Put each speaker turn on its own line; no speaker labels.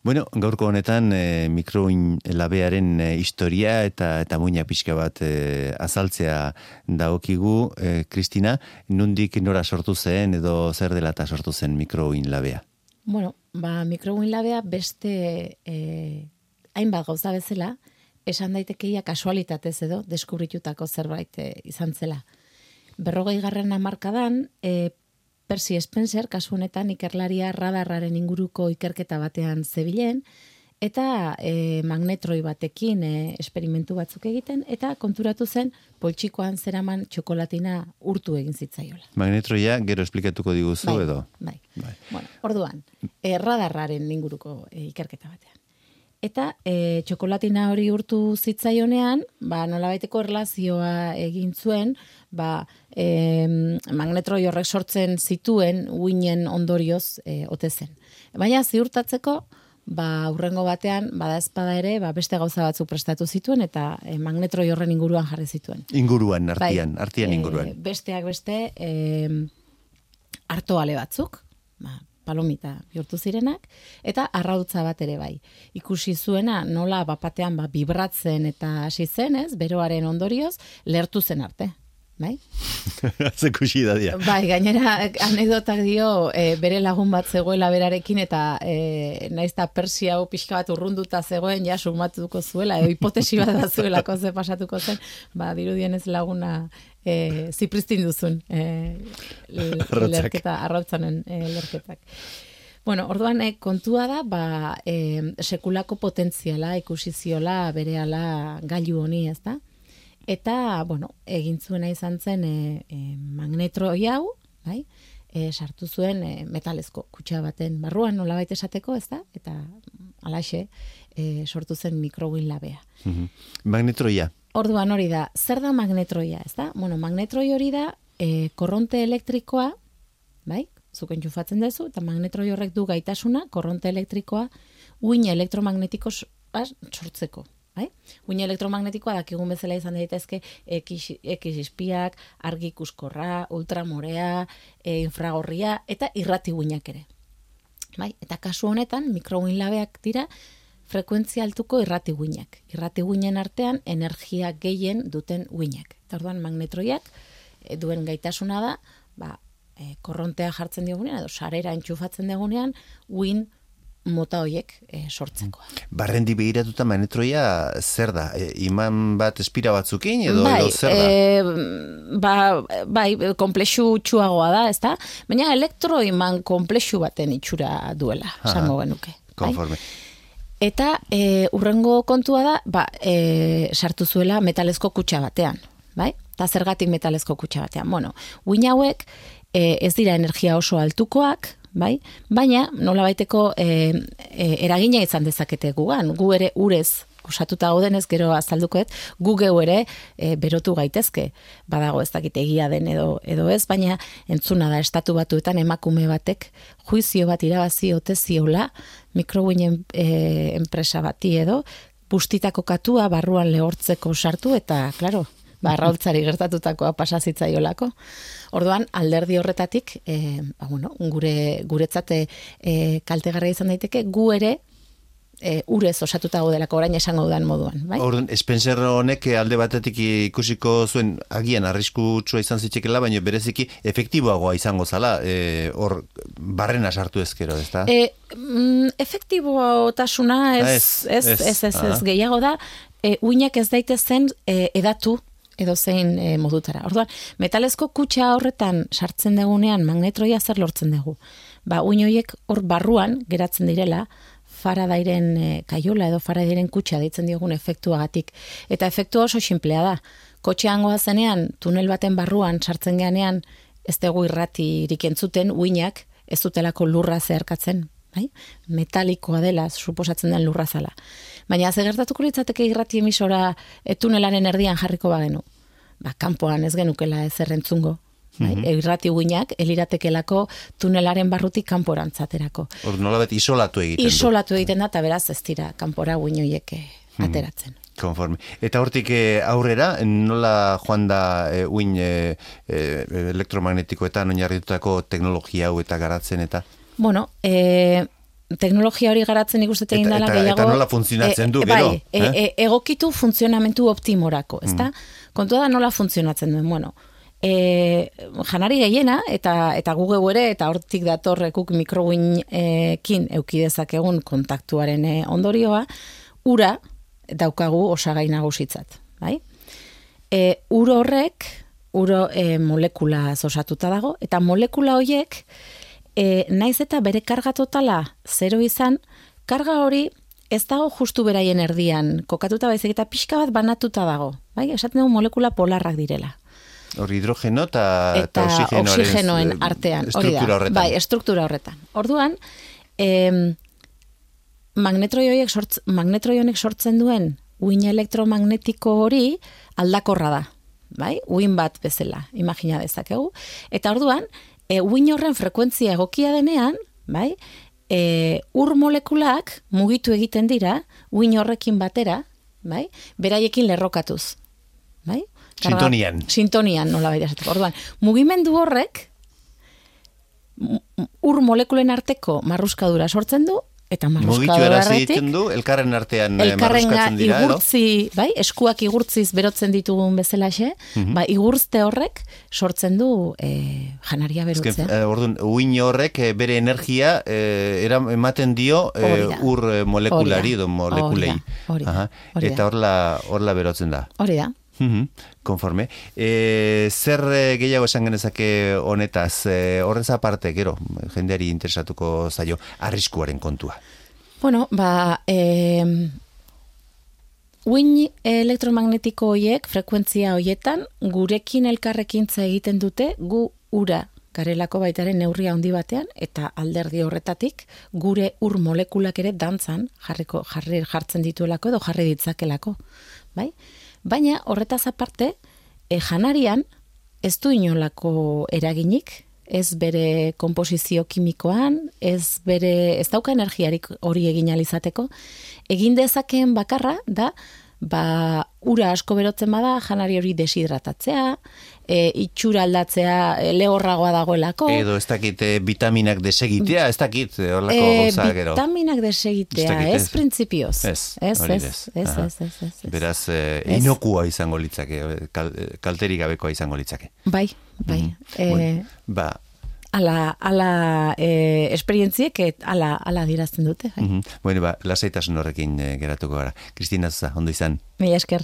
Bueno, gaurko honetan mikroin labearen historia eta muina pixka bat azaltzea dagokigu. Kristina, nondik nora sortu zen edo zer dela eta sortu zen mikroin labea?
Bueno, mikroin labea beste hainbat gauza bezala, esan daitekeia kasualitatez edo deskubritutako zerbait izan zela. 40. hamarkadan, Percy Spencer, kasu honetan ikerlaria radarraren inguruko ikerketa batean zebilen, eta magnetroi batekin esperimentu batzuk egiten, eta konturatu zen poltsikoan zeraman txokolatina urtu egin zitzaiola.
Magnetroia gero esplikatuko diguzu edo?
Bai. Bueno, orduan, radarraren inguruko ikerketa batean. Eta txokolatina hori urtu zitzaionean, nolabaiteko erlazioa egin zuen, magnetroi horrek sortzen zituen uinen ondorioz ote zen. Baina ziurtatzeko, hurrengo batean, badaezpada ere, beste gauza batzuk prestatu zituen, eta magnetroi horren inguruan jarri zituen.
Inguruan, artian inguruan.
Besteak beste, artoale batzuk, palomita bihurtu zirenak, eta arrautza bat ere bai. Ikusi zuena nola bapatean bibratzen eta hasi zen, beroaren ondorioz, lehertu zen arte. Bai?
Zekusi da dia.
Bai, gainera anekdotak dio bere lagun bat zegoela berarekin eta naizta Persia hau pixka bat urrunduta zegoen ja sumatuko zuela, hipotesi bat da zuelako ze pasatuko zen, dirudienez laguna zipristin duzun arrautzanen lerketak. Bueno, orduan kontua da, sekulako potentziala ikusi ziola berehala gailu honi, ezta? Eta, egin zuena izan zen magnetroi hau, sartu zuen metalezko kutxa baten barruan nolabait esateko, ezta? Eta halaxe sortu zen mikroin labea.
Magnetroia.
Orduan hori da, zer da magnetroia, ezta? Bueno, magnetroi hori da korronte elektrikoa, zuk entxufatzen duzu, eta magnetroi horrek du gaitasuna, korronte elektrikoa, uin elektromagnetiko sortzeko. Uin elektromagnetikoa dakigun bezala izan daitezke X-ispiak, argi ikuskorra, ultramorea, infragorria eta irrati uinak ere. Eta kasu honetan mikrouin labeak dira frekuentzia altuko irrati uinak. Irrati uinen artean energia gehien duten uinak. Eta orduan magnetroiak duen gaitasuna da, korrontea jartzen diogunean edo sarera entxufatzen diogunean uin mota horiek sortzekoa.
Barrendi behiratuta magnetroia zer da? Iman bat espira batzukin edo zer
da? Bai, komplexu txuagoa da, ezta? Baina elektroiman komplexu baten itxura duela, esango genuke.
Konforme.
Eta urrengo kontua da, sartu zuela metalezko kutxa batean, bai? Eta zergatik metalezko kutxa batean. Bueno, uin hauek ez dira energia oso altukoak, bai? Baina nolabaiteko eragina izan dezakete gugan. Gu ere urez osatuta gaudenez gero azaldukoet, gu geu ere berotu gaitezke. Badago ez dakit egia den edo ez, baina entzuna da estatu batuetan emakume batek juizio bat irabazi ote ziola mikrouinen enpresa bati edo bustitako katua barruan lehortzeko sartu eta, klaro, arrautzari gertatutakoa pasazitzaiolako. Orduan, alderdi horretatik, guretzat kaltegarria izan daiteke, gu ere urez osatuta gaudelako orain esango dudan moduan.
Orduan, Spencer honek alde batetik ikusiko zuen agian arriskutsua izan zitzekela, baina bereziki efektiboagoa izango zala, hor barrena sartu ezkero, ez da?
Efektibotasuna ez gehiago da, uinak ez daitezen edatu edo zein modutara. Orduan, metalezko kutxa horretan sartzen dugunean magnetroia zer lortzen dugu. Uin horiek hor barruan geratzen direla, Faradairen kaiola edo Faradairen kutxa deitzen diogun efektuagatik. Eta efektua oso sinplea da. Kotxean goazenean, tunel baten barruan sartzen geanean, ez dugu irratirik entzuten, uinak ez dutelako lurra zeharkatzen. Metalikoa dela, suposatzen den lurra zala. Baina ze gertatuko litzateke irrati emisora tunelaren erdian jarriko bagenu. Kanpoan ez genukela ezer entzungo. Irrati uinak eliratekelako tunelaren barrutik kanporantzaterako.
Hor nolabet isolatu egiten du.
Isolatu egiten da, eta beraz ez dira kanpora uin horiek ateratzen.
Konforme. Eta hortik aurrera, nola joan da uin elektromagnetikoetan oinarritutako teknologia hau eta garatzen eta?
Bueno, teknologia hori garatzen ikusten egin dela gehiago.
Eta nola funtzionatzen du, gero?
Egokitu funtzionamentu optimorako, ezta? Kontua da nola funtzionatzen duen, bueno. Janari gehiena, eta gu ere, eta hortik datorrekuk mikroguinekin eukidezakegun kontaktuaren ondorioa, ura daukagu osagai nagusitzat, bai? Ur horrek, molekula osatuta dago, eta molekula horiek, naiz eta bere karga totala 0 izan, karga hori ez dago justu beraien erdian kokatuta baizik eta pixka bat banatuta dago, bai? Esaten dugu molekula polarrak direla.
Hor hidrogeno eta
oxigenoen artean,
struktura horretan.
Bai, struktura horretan. Orduan, magnetroi honek sortzen duen uhin elektromagnetiko hori aldakorra da, bai? Uhin bat bezala, imagina dezakegu. Eta orduan, uhin horren frekuentzia egokia denean, bai? Ur molekulak mugitu egiten dira, uhin horrekin batera, bai? Beraiekin lerrokatuz, bai? Sintonian, nola baita esateko. Orduan, mugimendu horrek ur molekulen arteko marruskadura sortzen du, eta marruskadura
egiten du, elkarren artean marruskatzen dira,
igurtzi, bai, eskuak igurtziz berotzen ditugun bezalaxe, igurtzte horrek sortzen du janaria berotzea.
Orduan, uhin horrek bere energia ematen dio ur molekulari edo molekulei. Eta horla berotzen da.
Hori da.
Konforme. Zer gehiago esan genezake honetaz, horrez aparte, gero, jendeari interesatuko zaio, arriskuaren kontua?
Bueno, uhin elektromagnetiko horiek, frekuentzia horietan, gurekin elkarrekintza egiten dute, gu ura garelako baitaren neurria handi batean, eta alderdi horretatik, gure ur molekulak ere dantzan jartzen dituelako edo jarri ditzakelako. Bai? Baina horretaz aparte, janarian ez du inolako eraginik, ez bere konposizio kimikoan, ez dauka energiarik hori egin alizateko. Egin dezakeen bakarra da, ura asko berotzen bada, janari hori deshidratatzea, itxura aldatzea lehorragoa dagoelako.
Edo ez dakit vitaminak desegitea, ez dakit horlako gauza gero.
Vitaminak desegitea, ez printzipioz.
Ez. Beraz, inokua izango litzake, kalterik gabekoa izango litzake.
Bai. Ala esperientziek ala dirazten dute.
Bueno, lasaitasun horrekin geratuko gara. Kristina Zuza, ondo izan.
Mila esker.